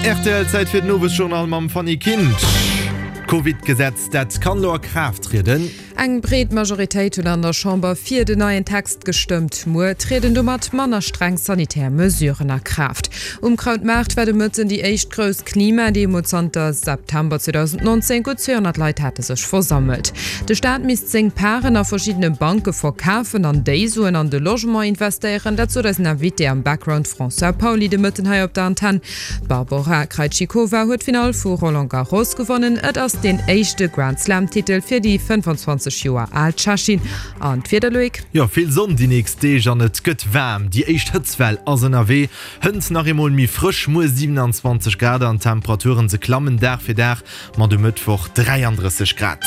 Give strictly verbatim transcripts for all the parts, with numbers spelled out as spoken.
Rtl, Zäit fir den Owesjournal mam Fanny Kinsch. D'Covid-Gesetz, dat kann elo a Kraaft trieden. Eng breet Majoritéit huet an der Chamber fir den neien Text gestëmmt. Muer trieden domat manner streng sanitär Mesuren a Kraaft. Um Krautmaart war de Mëtten déi éischt grouss Klimademo zanter September zweedausendnonzéng. Gutt zweehonnert Leit hate sech versammelt. De Staat misst seng Paren a verschiddene Banke verkafen an déi Suen an de Logement investéieren. Dat sot eisen Invité am Background François Pauly de Mëtten hei op der Antenn. D'Barbora Krejcikova huet d'Finall vu Roland Garros gewonnen. Et ass deen éischte Grand-Slam-Titel fir déi fënnefanzwanzeg Joer al Tschechin. An d'Wieder, Loïc? Jo, vill Sonn déi nächst Deeg an et gëtt waarm. Déi éischt Hëtztwell ass ënnerwee, hënt nach eemol méi frësch, muer siewenanzwanzeg Grad an d'Temperaturen se klammen Dag fir Dag, mat um Mëttwoch dräiandrësseg Grad.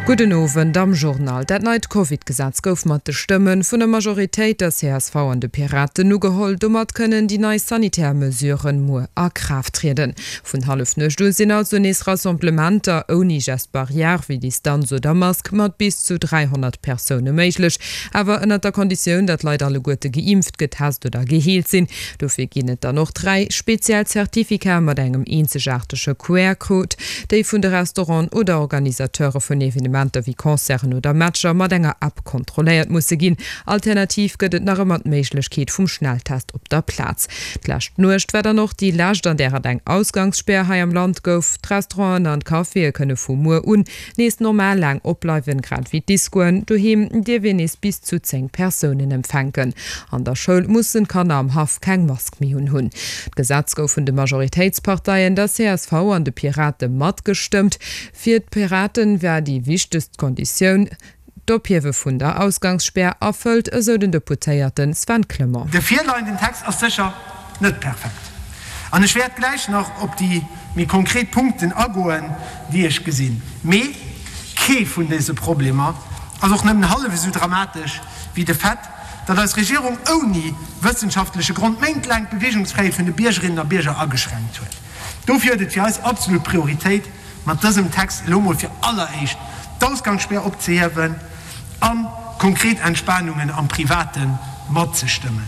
Gudden Owend am Journal. Dat neit Covid-Gesetz gouf mat de Stëmme vun der Majoritéit, der C S V an de Piraten, ugeholl. Domat kënnen déi nei sanitär Mesuren muer a Kraaft trieden. Vun Hallefnuecht u sinn also nees Rassemblementer ouni Geste barrière wéi Distanz oder Mask mat bis zu dräihonnert Persoune méiglech. Awer ënnert der Konditioun, datt d'Leit alleguerte geimpft, getest oder geheelt sinn. Dofir ginn et dann och dräi speziell Certificate mat engem eenzegaartege Q R-Code, déi vun de Restauranten oder Organisateure vun Evenementer wéi Concerten oder Matcher mat enger App kontrolléiert musse ginn. Alternativ gëtt et nach ëmmer d'Méiglechkeet vum Schnelltest op der Plaz. D'lescht Nuecht war dann och déi lescht, an där et eng Ausgangsspär hei am Land gouf. D'Restauranten an d'Caféë kënne vu muer un nees normal laang opbleiwen, grad ewéi d'Discoen. Doheem dierf een nees bis zu zéng Persounen empfänken. An der Schoul mussen d'Kanner am Haff keng Mask méi unhunn. D'Gesetz gouf vun de Majoritéitsparteien, der C S V an de Pirate matgestëmmt. Fir d'Piraten war déi wichtegst Konditioun d'Ophiewe vun der Ausgangsspär erfëllt, esou den Deputéierte Sven Clement. De virleienden Text ass sécher net perfekt an ech wäert gläich nach op déi méi konkret Punkten agoen, déi ech gesinn. Mee kee vun dëse Problemer ass och nëmmen hallef esou dramatesch wéi de Fait, datt eis Regierung ouni wëssenschaftleche Grond méintlaang d'Beweegungsfräiheet vun de Biergerinnen a Bierger ageschränkt huet. Dofir huet et fir eis absolut Prioritéit, mat dësem Text elo mol fir alleréischt d'Ausgangsspär opzehiewen a konkret Entspanungen am Private matzestëmmen.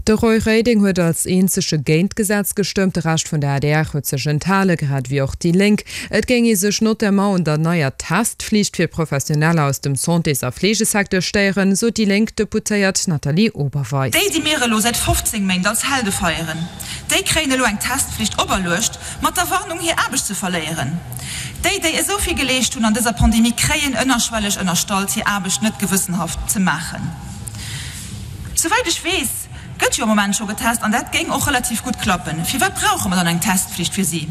De Roy Reding huet als eenzege géint d'Gesetz gestëmmt, de Rescht vun der A D R huet sech enthalen, grad ewéi och déi Lénk. Et géing ee sech notamment un der neier Testflicht fir Professioneller aus dem Santés a Fleegesecteur stéieren, sot déi lénk Deputéiert Nathalie Oberweis. Déi, déi mir elo säit fofzéng Méint als Helde feieren, déi kréien elo eng Testflicht operluecht, mat der Warnung, hir Aarbecht ze verléieren. Déi, déi esou vill geleescht hunn an dëser Pandemie, kréien ënnerschwelleg ënnerstallt, hir Aarbecht net gewëssenhaft ze maachen. Souwäit ech weess, gëtt jo am Moment scho getest an dat géing och relativ gutt klappen. Firwat brauche mer dann eng Testflicht fir si?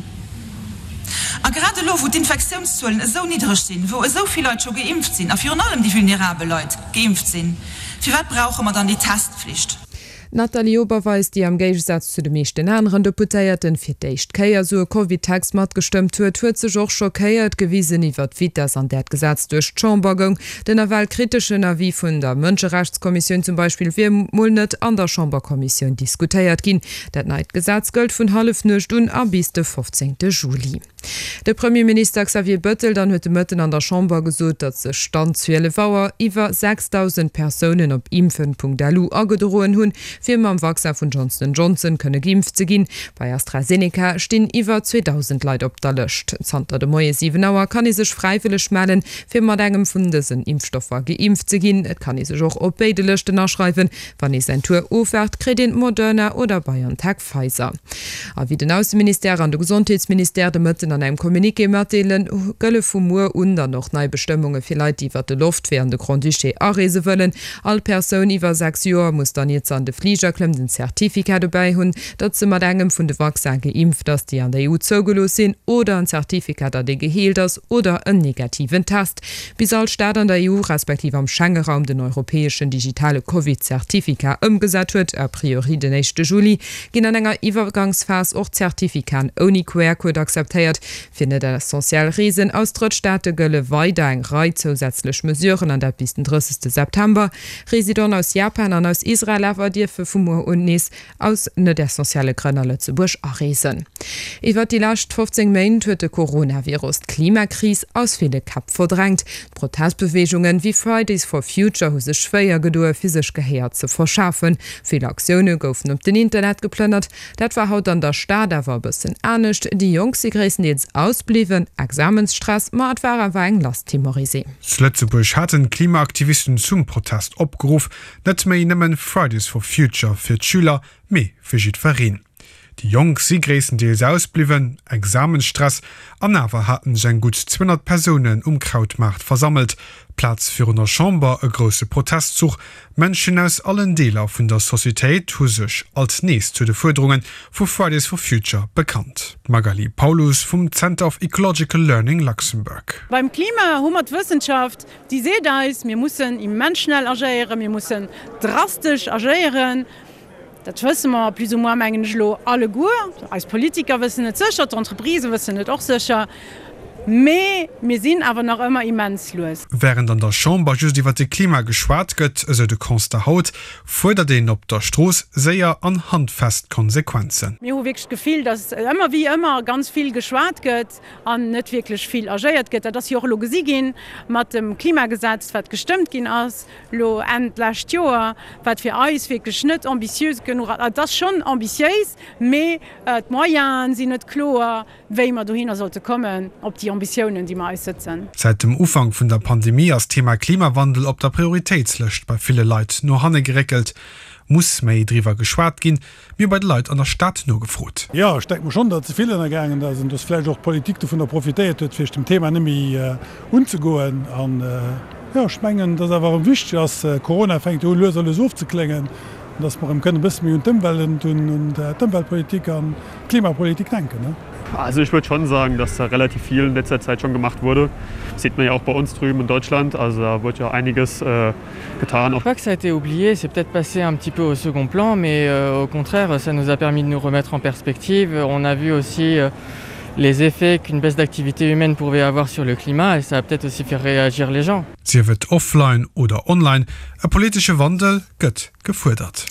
A grad elo, wou d'Infektiounszuelen esou niddreg sinn, wou esou vill Leit scho geimpft sinn a virun allem déi vulnerabel Leit geimpft sinn, firwat brauche mer dann déi Testflicht? D'Nathalie Oberweis, déi am Géigesaz zu de meeschten aneren Deputéierten fir d'éischt Kéier esou e Covid-Text matgestëmmt huet, huet sech och schockéiert gewisen iwwer d'Vitess, an där d'Gesetz duerch d'Chamber goung. Den nawell kriteschen Avis vun der Mënscherechtskommissioun zum Beispill wier mol net an der Chamberkommissioun diskutéiert ginn. Dat neit Gesetz gëllt vun Hallefnuecht un a bis de fofzéngte Juli. De Premierminister Xavier Bettel dann huet de Mëtten an der Chamber gesot, datt sech Stand zwielef Auer iwwer sechsdausend Persounen op impfen Punkt L U agedroen hunn, fir mam Vaccin vun Johnson Johnson kënne geimpft ze ginn. Bei AstraZeneca stinn iwwer zweedausend Leit op der Lëscht. Zanter de Moie siwen Auer kann ee sech fräiwëlleg mellen, fir mat engem vun dësen Impfstoffer geimpft ze ginn. Et kann ee sech och op béide Lëschten aschreiwen. Wann ee säin Tour ofwaart, kritt een Moderna oder BioNTech Pfizer. A wéi den Ausseministère an de Gesondheetsministère de Mëtten an engem Communiqué matdeelen, gëlle vu muer un dann och nei Bestëmmunge fir Leit, déi iwwer de Loftwee an de Grand-Duché areese wëllen. All Persoun iwwer sechs Joer muss dann, iert se an de Fliger klëmmt, en Certificat dobäi hunn, datt se mat engem vun de Vaccine geimpft ass, déi an der E U zougelooss sinn, oder en Certificat, datt ee geheelt ass, oder en negativen Test. Bis all Staat an der E U respektiv am Schengeraum den europäeschen digitale Covid-Certificat ëmgesat huet, a priori den éischte Juli, ginn an enger Iwwergangsphas och Zertifikaten ouni Q R-Code akzeptéiert. Fir net essentiell Reesen aus Drëttstaate gëlle weider eng Rei zousätzlech Mesuren, an dat bis den drëssegste September. Residenten aus Japan an aus Israel awer dierfen däerfe vu muer un nees aus net essentielle Grënn a Lëtzebuerg areesen. Iwwert déi lescht fofzéng Méint huet de Coronavirus d'Klimakris aus ville Käpp verdrängt. D'Protestbeweegungen wéi Fridays for Future hu sech schwéier gedoe fir sech Gehéier ze verschafen. Vill Aktioune goufen op den Internet geplënnert. Dat war haut an der Stad awer e bëssen anescht. Déi Jonk si gréisstendeels ausbliwwen, Examensstress, ma et war awer eng lass Temorisé. Zu Lëtzebuerg haten d'Klimaaktivisten zum Protest opgeruff, net méi nëmmen Fridays for Future fir d'Schüler, mee fir jiddwereen. Déi Jonk si gréisstendeels ausbliwwen, Examensstress, an awer haten sech eng gutt zweehonnert Persounen um Krautmaart versammelt. D'Plaz virun der Chamber, e grousse Protestzuch. Mënschen aus allen Deeler vun der Societéit hu sech alt nees zu de Fuerderunge vu Fridays for Future bekannt. D'Magali Paulus vum Center of Ecological Learning Luxembourg. Beim Klima hu mer d'Wëssenschaft, déi seet eis, mir mussen immens schnell agéieren, mir mussen drastesch agéieren. Dat wësse mer plus ou moins, mengen ech elo, alleguer. Eis Politiker wëssen et sécher, d'Entreprisë wëssen et och sécher. Mee mir sinn awer nach ëmmer immens lues. Wärend an der Chamber just iwwer de Klima geschwat gëtt, esou de Constat haut, fuerdert een op der Strooss séier an handfest Konsequenzen. Mir hu wierklech d'Gefill, datt ëmmer wéi ëmmer ganz vill geschwat gëtt an net wierklech vill agéiert gëtt. Dat ass jo och elo gesi ginn mat dem Klimagesetz, wat gestëmmt ginn ass elo Enn d'lescht Joer, wat fir eis wierklech net ambitiös genuch ass. Et ass schonn ambitiéis, mee d'Moyene sinn net kloer, wéi mer dohinner sollte kommen, op déi Ambitiounen, déi mer eis sëtzen. Säit dem Ufank vun der Pandemie ass d'Thema Klimawandel op der Prioritéitslëscht bei ville Leit no hanne geréckelt. Muss méi driwwer geschwat ginn? Mir hu bei de Leit an der Stad nogefrot. Jo, ech denke mer schonn, datt ze vill ënnergaangen ass an datt vläicht och d'Politik dovunner profitéiert huet, fir sech dem Thema net méi unzegoen. An jo, ech mengen, datt awer erëm wichteg ass, Corona fänkt jo u lues a lues ofzekléngen, datt mer erëm kënnen e bësse méi un d'Ëmwelt, un d'Ëmweltpolitik an d'Klimapolitik denken. Also ich würde schon sagen, dass da relativ viel in letzter Zeit schon gemacht wurde. Das sieht man ja auch bei uns drüben in Deutschland, also da wurde ja einiges äh, getan. Pas que ça a été oublié, c'est peut-être passé un petit peu au second plan, mais euh, au contraire, ça nous a permis de nous remettre en perspective. On a vu aussi euh, les effets qu'une baisse d'activité humaine pouvait avoir sur le climat et ça a peut-être aussi fait réagir les gens. Sief et offline oder online, e politesche Wandel gëtt gefuerdert.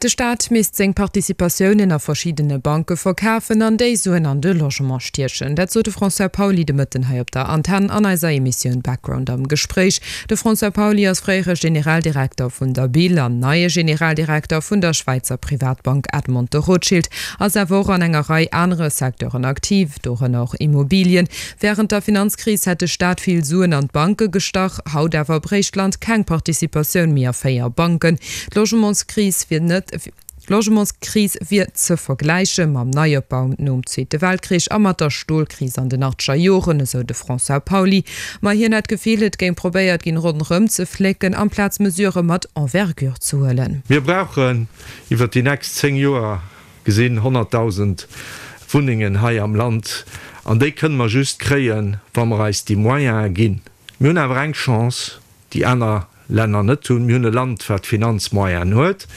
De Staat misst seng Participatiounen a verschiddene Banke verkafen an déi Suen an de Logement stiechen. Dat sot de François Pauly de Mëtten hei op der Antenn an eiser Emissioun Background am Gespréich. De François Pauly ass fréiere Generaldirekter vun der BIL an neie Generaldirekter vun der Schwäizer Privatbank Edmond de Rothschild, ass awer och an enger Rei anere Secteuren aktiv, dorënner och Immobilien. Wärend der Finanzkris hätt de Staat vill Suen an d'Banke gestach, haut awer bréicht d'Land keng Participatioun méi a véier Banken. D'Logementskris wier net D'Logementskris wier ze vergläiche mam Neiopbau nom Zweete Weltkrich a mat der Stolkris an den achtzeger Joren, esou de François Pauly. Ma hien hätt d'Gefill, et géing probéiert ginn, ronderëm ze flécken, amplaz Mesurë mat Envergure ze huelen. Mir brauchen iwwert déi nächst zéng Joer gesinn honnertdausend Wunnengen hei am Land, an déi kënne mer just kréien, wa mer eis déi Moyene ginn. Mir hunn awer eng Chance, déi aner Länner net hunn. Mir hunn e Land, wat Finanzmoyenen huet.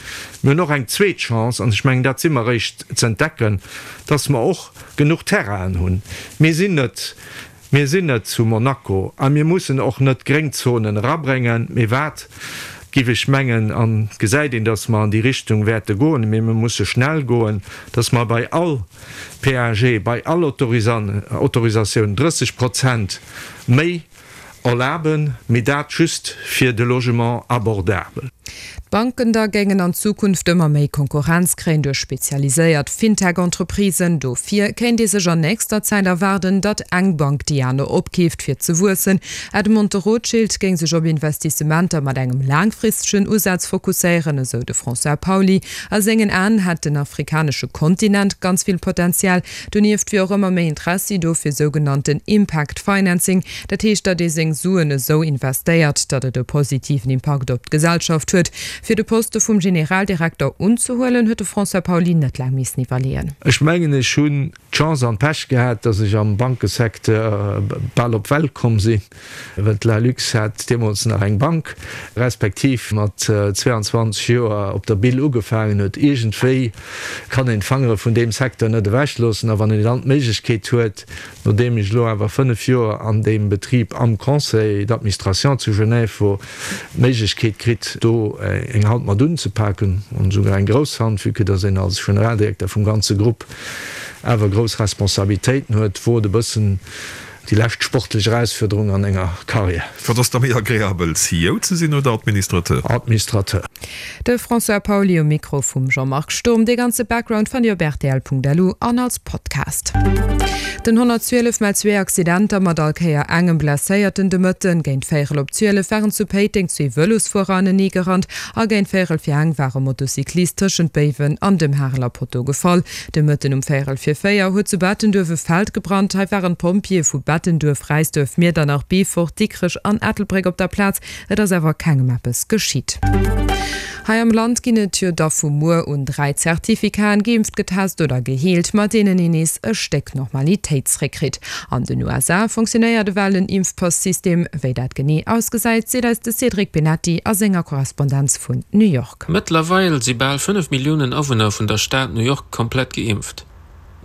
Mir hunn och eng zweet Chance, an ech mengen, dat si mer eréischt z'entdecken, dass mer och genuch Terrainen hunn. Mir sinn net, mir sinn net zu Monaco a mir mussen och net Gréngzonen erabréngen. Mee wat, géif ech mengen, an et gesäit een, dass mer an déi Richtung wäerte goen, mee mir musse schnell goen, dass mer bei all P A G, bei all Autorisatioun drësseg Prozent méi erlaben, mee dat just fir de Logement abordable. D'Banken da géingen an Zukunft ëmmer méi Konkurrenz kréien duerch spezialiséiert Fintech-Entreprisen. Dofir kéint ee sech an nächster Zäit erwaarden, datt eng Bank déi aner opkeeft, fir ze wuessen. Edmond de Rothschild géing sech op Investissementer mat engem laangfristegen Usaz fokusséieren, esou de François Pauly. A sengen Aen hätt den afrikanesche Kontinent ganz vill Potenzial. Donieft wier och ëmmer méi Interessi do fir sougenannten Impact Financing, dat heescht, datt ee seng Suen esou investéiert, datt et e positiven Impakt op d'Gesellschaft huet. Fir de Poste vum Generaldirekter unzehuelen, huet de François Pauly net laang missen iwwerleeën. Ech mengen, ech hunn d'Chance an d'Pech gehat, dass ech am Bankesecteur bal op d'Welt komm sinn, well d'Lalux hat deemools nach eng Bank, respektiv mat zweiandzwanzeg Joer op der Bille ugefaangen huet. Iergendwéi kann een d'Fangere vun deem Secteur net ewechloossen a wann een dann d'Méiglechkeet huet, nodeem ech elo awer fënnef Joer an deem Betrib am Conseil d'administration zu Genève wor, d'Méiglechkeet kritt, do eng Hand mat unzepaken, an esouguer eng grouss Hand, vue que dass een als Generaldirekter vum ganze Grupp awer grouss Responsabilitéiten huet, wor et e bëssen déi lescht sportlech Erausfuerderung an enger Karriär. Wat ass da méi agreabel, C E O ze sinn oder Administrateur? Administrateur. De François Pauly um Mikro vum Jean-Marc Sturm. Dee ganze Background fannt Dir op rtl Punkt L U an als Podcast. Den honnertzwielef mellt zwee Accidenter mat all Kéier engem Blesséierten. De Mëtten géint véierel op zwielef waren zu Péiteng zwee Vëlosfuerer anenee gerannt a géint véierel fir eng war e Motocyclist tëschent Béiwen an dem Hareler Potto gefall. De Mëtten um véierel fir véier huet zu Bettenduerf e Feld gebrannt. Hei waren d'Pompjeeë vu Bettenduerf, Räisduerf, Miedernach, Beefort, Dikrech an Ettelbréck op der Plaz. Et ass awer kengem eppes geschitt. Hei am Land ginn et jo da vu muer un dräi Zertifikaten, geimpft, getest oder geheelt, mat deenen een nees e Stéck Normalitéit zréckkritt. An den U S A funktionéiert ewell en Impfpass-System. Wéi dat genee ausgesäit, seet eis de Cédric Benetti a senger Korrespondenz vun New York. Mëttlerweil si bal fënnef Milliounen Awunner vun der Stad New York komplett geimpft.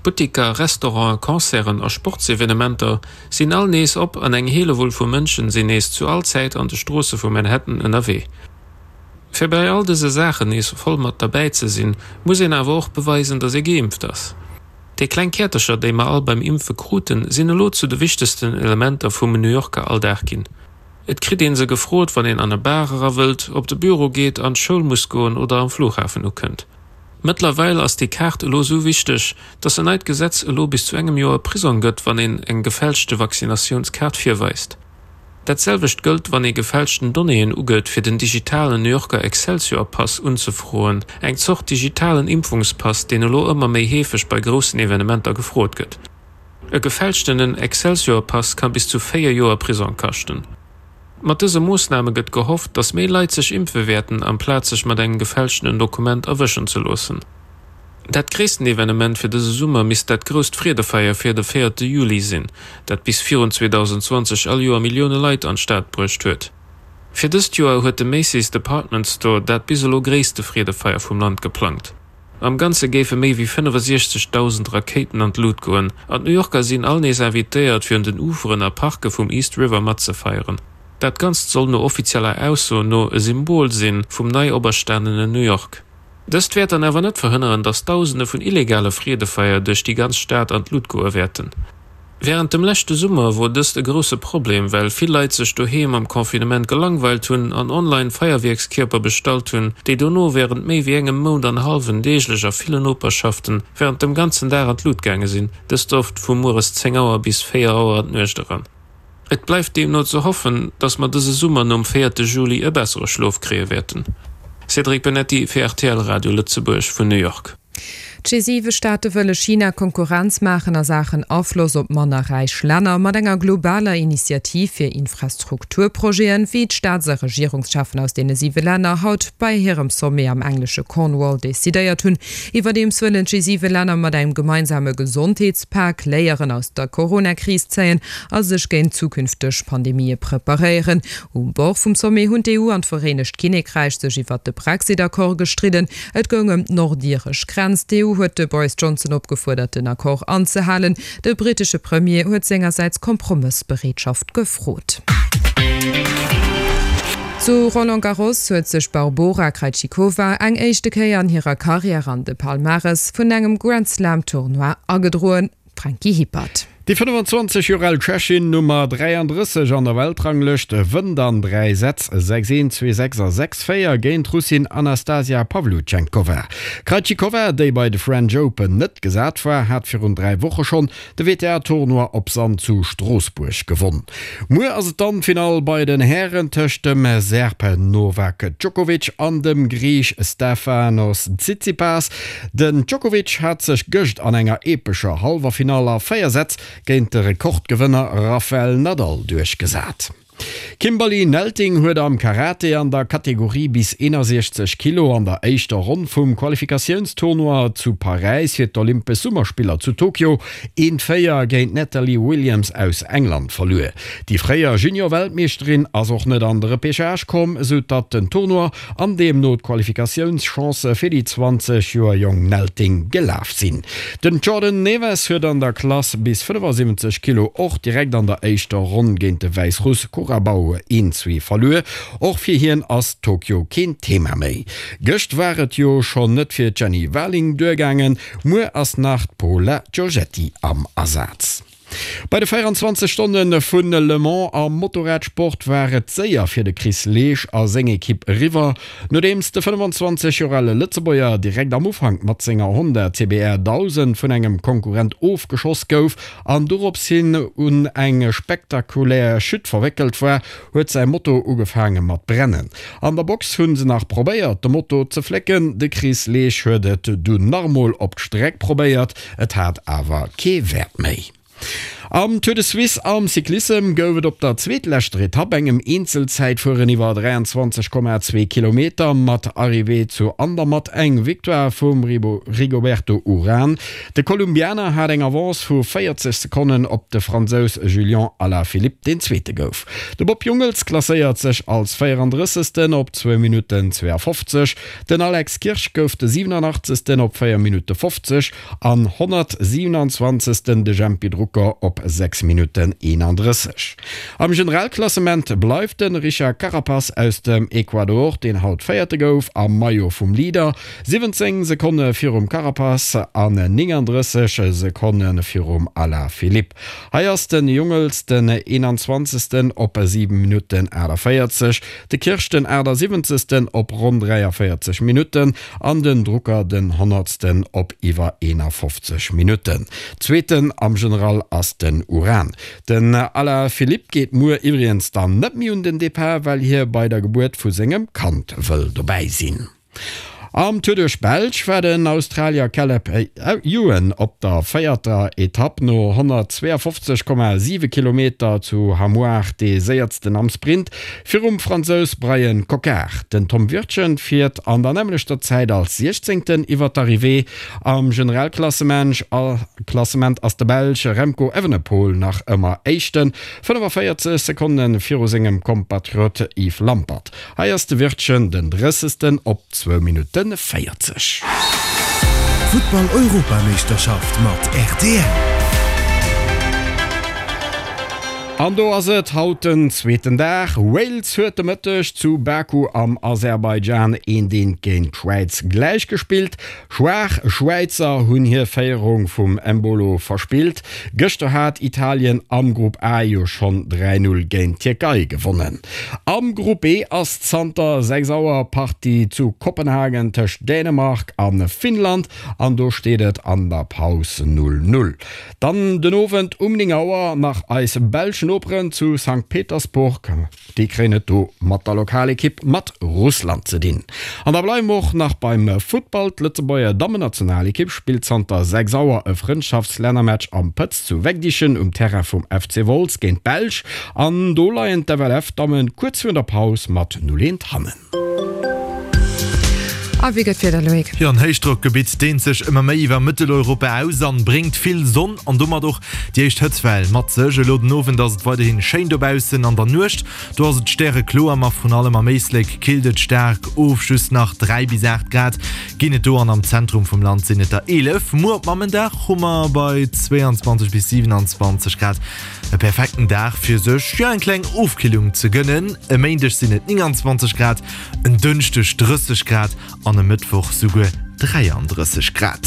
Buttiker, Restauranten, Concerten a Sportsevenementer sinn all nees op an eng Hellewull vu Mënschen sinn nees zu all Zäit an de Stroosse vu Manhattan ënnerwee. Fir bei all dëse Saachen nees voll mat derbäi ze sinn, muss een awer och beweisen, datt ee geimpft ass. Déi kleng Käertercher, déi mer all beim Impfe kruten, sinn elo zu de wichtegsten Elementer vum New Yorker Alldag ginn. Et kritt een se gefrot, wann een an e Bar era wëllt, op de Büro geet, an d'Schoul muss goen oder am Flughafen ukënnt. Mëttlerweil ass déi Kaart elo sou wichteg, datt en neit Gesetz elo bis zu engem Joer Prisong gëtt, wann een eng gefälschte Vaccinatiounskaart virweist. Dat selwecht gëllt, wann ee gefälschten Donnéeën ugëtt, fir den digitalen New Yorker Excelsior-Pass unzefroen, eng Zort digitalen Impfungspass, deen elo ëmmer méi heefeg bei groussen Evenementer gefrot gëtt. E gefälschtenen Excelsior-Pass ka bis zu véier Joer Prisong kaschten. Mat dëse Moossname gëtt gehofft, datt méi Leit sech impfe wäerten, amplaz sech mat engem gefälschtenen Dokument erwëschen ze loossen. Dat gréissten Evenement fir dëse Summer misst dat grousst Freedefeier fir de véierte Juli sinn, dat bis virun zweedausenzwanzeg all Joer Millioune Leit an d'Stad bruecht huet. Fir dëst Joer huet de Macy's Department Store dat bis elo gréisste Freedefeier vum Land geplangt. Am Ganze géife méi wéi fënnefosechzegdausend Rakéiten an d'Lut goen, an d'New Yorker sinn all nees invitéiert, fir un den Uferen a Parke vum East River matzefeieren. Dat Ganzt soll no offizieller Ausso no e Symbol sinn vum nei operstanenen New York. Dëst wäert dann awer net verhënneren, datt Dausende vun illegale Freedefeier duerch déi ganz Stad an d'Lut goe wäerten. Wärend dem leschte Summer wor dëst e grousse Problem, well vill Leit sech doheem am Confinement gelangweilt hunn an online Feierwierkskierper bestallt hunn, déi dono wärend méi wéi engem Mount an hallwen deeglech a villen Noperschaften wärend dem ganzen Dag an d'Lut gaange sinn, dëst oft vu mueres zéng Auer bis véier Auer an d'Nuecht eran. Et bleift deemno ze hoffen, datt mer dëse Summer nom véierte Juli e bessere Schlof kréie wäerten. Cédric Benetti fir R T L Radio Lëtzebuerg vun New York. D'G siwe Staate wëlle China Konkurrenz maachen a Saachen Afloss op manner räich Länner mat enger globaler Initiativ fir Infrastrukturprojeten, wéi d'Staats a Regierungscheffen aus deene siwe Länner haut bei hirem Sommet am englesche Cornwall decidéiert hunn. Iwwerdeems wëllen d'G siwe Länner mat engem gemeinsame Gesondheetspak Léieren aus der Coronakris zéien a sech géint zukünfteg Pandemië preparéieren. Um Bord vum Sommet hunn d'E U an d'Vereenegt Kinnekräich sech iwwer de Brexit-Accord gestridden. Et goung ëm d'nordiresch Grenz. D'E U huet de Boris Johnson opgefuerdert, den Accord anzehalen. De brittesche Premier huet sengersäits Kompromëssbereetschaft gefrot. Zu Roland Garros huet sech d'Barbora Krejcikova eng éischte Kéier an hirer Karriär an de Palmarès vun engem Grand Slam Tournoi agedroen. Franky Hippert. Déi fënnefenzwanzeg Joer al Tschechin, Nummer dräiandrësseg an der Weltranglëscht, wënnt an dräi Sätz, sechs een, zwee sechs a sechs véier, géint d'Russin Anastasia Pavlyuchenkova. D'Krejcikova, déi bei de French Open net gesat war, hat virun dräi Woche schonn de W T A-Tournoi op Sand zu Stroossbuerg gewonn. Muer ass et dann d'Finall bei den Hären tëscht dem Serb Novak Djokovic an dem Griich Stefanos Tsitsipas. Den Djokovic hat sech gëscht an enger epescher Halleffinall a véier Sätz géint de Rekordgewënner Rafael Nadal duerchgesat. D'Kimberly Nelting huet am Karate an der Kategorie bis eenasiechzeg Kilo an der éischter Ronn vum Qualifikatiounstournoi zu Paräis fir d'Olympesch Summerspiller zu Tokio een véier géint d'Natalie Williams aus England verluer. Déi fréier Junior-Weltmeeschterin ass och net an de Repêchage komm, esou datt den Tournoi an deemno d'Qualifikatiounschance fir déi zwanzeg Joer jonk Nelting gelaf sinn. Den Jordan Neves huet an der Klass bis fënnefasiwwenzeg Kilo och direkt an der éischter Ronn géint de Wäissruss Korabau een zwee verluer. Och fir hien ass Tokio keen Thema méi. Gëscht war et jo schonn net fir d'Jenny Warling duergaangen, muer ass nach d'Paola Giorgetti am Asaz. Bei de véieranzwanzeg Stonne vun Le Mans am Motorradsport war et séier fir de Chris Leesch a seng Ekipp eriwwer. Nodeems de fënnefenzwanzeg Joer ale Lëtzebuerger direkt am Ufank mat senger Honda C B R dausend vun engem Konkurrent ofgeschoss gouf an dorops hin un eng spektakulär Chute verwéckelt war, huet säi Moto ugefaange mat brennen. An der Box hunn se nach probéiert de Moto ze flécken, de Chris Leesch huet et dunn nach emol op d'Streck probéiert, et hat awer kee Wäert méi. Am Tour de Suisse am Cyclissem gouf et op der zweetleschter Etapp, engem Eenzelzäitfueren iwwer dräianzwanzeg Komma zwee Kilometer mat Arrivée zu Andermatt, eng Victoire vum Rigoberto Urán. De Kolumbianer hat eng Avance vu véierzeg Sekonnen op de Fransous Julian Alaphilippe, deen Zweete gouf. De Bob Jungels klasséiert sech als véierandrëssegsten op zwou Minutten zweeafofzeg, den Alex Kirsch gouf de siwenanachtzegsten op véier Minutte fofzeg an honnertsiwenanzwanzegsten de Jempy Drucker op sechs Minutten eenandrësseg. Am Generalklassement bleift de Richard Carapaz aus dem Ecuador, deen haut Véierte gouf, am Maillot vum Leader, siwwenzéng Sekonne virum Carapaz an néngandrësseg Sekonne virum Alaphilippe. Hei ass de Jungels den eenanzwanzegsten op siwen Minutten aachtavéierzeg, de Kirsch den aachtsiwwenzegsten op ronn dräiavéierzeg Minutten an den Drucker den honnertsten op iwwer eenafofzeg Minutten. Zweeten am General ass den Uran. Den Alaphilippe geet muer iwwregens dann net méi un den Depart, well hie bei der Gebuert vu sengem Kand wëll dobäi sinn. Am Tour duerch d'Belsch war den Australier Caleb Ewan op der véierter Etapp no honnertzweeafofzeg Komma siwe Kilometer zu Hamoir dee séiertsten am Sprint virum Fransous Bryan Coquard. Den Tom Wirtgen fiert an der nämmlechter Zäit als Siechzéngten iwwer d'Arrivée. Am Generalklassement ass de Belsch Remco Evenepoel nach ëmmer Éischten, fënnefaféierzeg Sekonne viru sengem Kompatriot Yves Lampaert. Hei ass de Wirtgen den Drëssegsten op zwou Minutte véierzeg. Futtball-Europameeschterschaft mat R T L. An do ass et haut den zweeten Dag. Wales huet de Mëtteg zu Baku am Aserbaidschan eent eent géint d'Schwäiz gläichgespillt. Schwaach Schwäizer hunn hir Féierung vum Embolo verspillt. Gëschter hat Italien am Grupp A jo schonn dräi Null géint d'Tierkei gewonnen. Am Grupp B ass zanter sechs Auer Partie zu Kopenhagen tëscht Dänemark a Finnland an do steet et an der Paus null Null. Dann den Owend um néng Auer nach eis belsch Noperen zu Sankt Petersburg, déi kréien et do mat der Lokalekipp mat Russland ze dinn. An da bleiwe mer och nach beim Futtball, D'Lëtzebuerger Dammennationalekipp spillt zanter sechs Auer e Frëndschaftslännermatch am Pëtz zu Wegdichen um Terrain vum F C Wolz géint d'Belsch an do leien d'F L F-Dammen kuerz virun der Paus mat null eent hannen. A wéi gëtt d'Wieder, Loïc? Jo, en Héichdrockgebitt deent sech ëmmer méi iwwer Mëtteleuropa aus an bréngt vill Sonn an domat och déi éischt Hëtztwell mat sech. Elo den Owend ass et weiderhi schéin dobaussen, an der Nuecht do ass et stärekloer, ma vrun allem am Éislek killt et staark of, just nach dräi bis aacht Grad ginn et do an am Zentrum vum Land sinn et der eelef. Muer op Mammendag hu mer bei zweeanzwanzeg bis siwenanzwanzeg Grad e perfekten Dag fir sech jo eng kleng Ofkillung ze gënnen. E Méindeg sinn et nénganzwanzeg Grad, en Dënschdeg drësseg Grad an e Mëttwoch souguer dräiandrësseg Grad.